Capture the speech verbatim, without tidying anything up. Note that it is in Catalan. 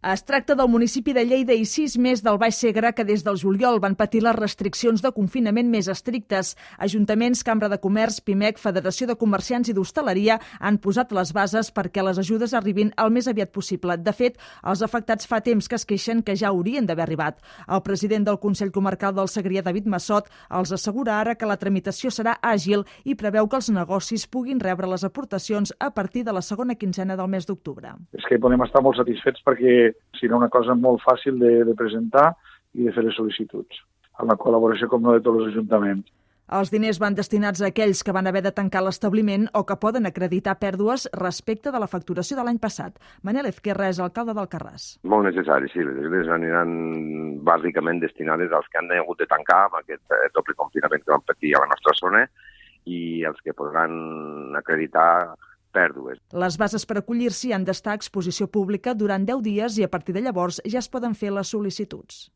Es tracta del municipi de Lleida i sis més del Baix Segre que des del juliol van patir les restriccions de confinament més estrictes. Ajuntaments, Cambra de Comerç, Pimec, Federació de Comerciants i d'Hostaleria han posat les bases perquè les ajudes arribin el més aviat possible. De fet, els afectats fa temps que es queixen que ja haurien d'haver arribat. El president del Consell Comarcal del Segrià, David Massot, els assegura ara que la tramitació serà àgil i preveu que els negocis puguin rebre les aportacions a partir de la segona quinzena del mes d'octubre. És que podem estar molt satisfets perquè serà una cosa molt fàcil de, de presentar i de fer les sol·licituds, amb la col·laboració, com no, de tots els ajuntaments. Els diners van destinats a aquells que van haver de tancar l'establiment o que poden acreditar pèrdues respecte de la facturació de l'any passat. Manel Ezquerra és alcalde d'Alcarràs. Molt necessari, sí. Les ajudes aniran bàsicament destinades als que han hagut de tancar amb aquest doble confinament que van patir a la nostra zona i els que podran acreditar pèrdues. Les bases per acollir-s'hi han d'estar a exposició pública durant deu dies i a partir de llavors ja es poden fer les sol·licituds.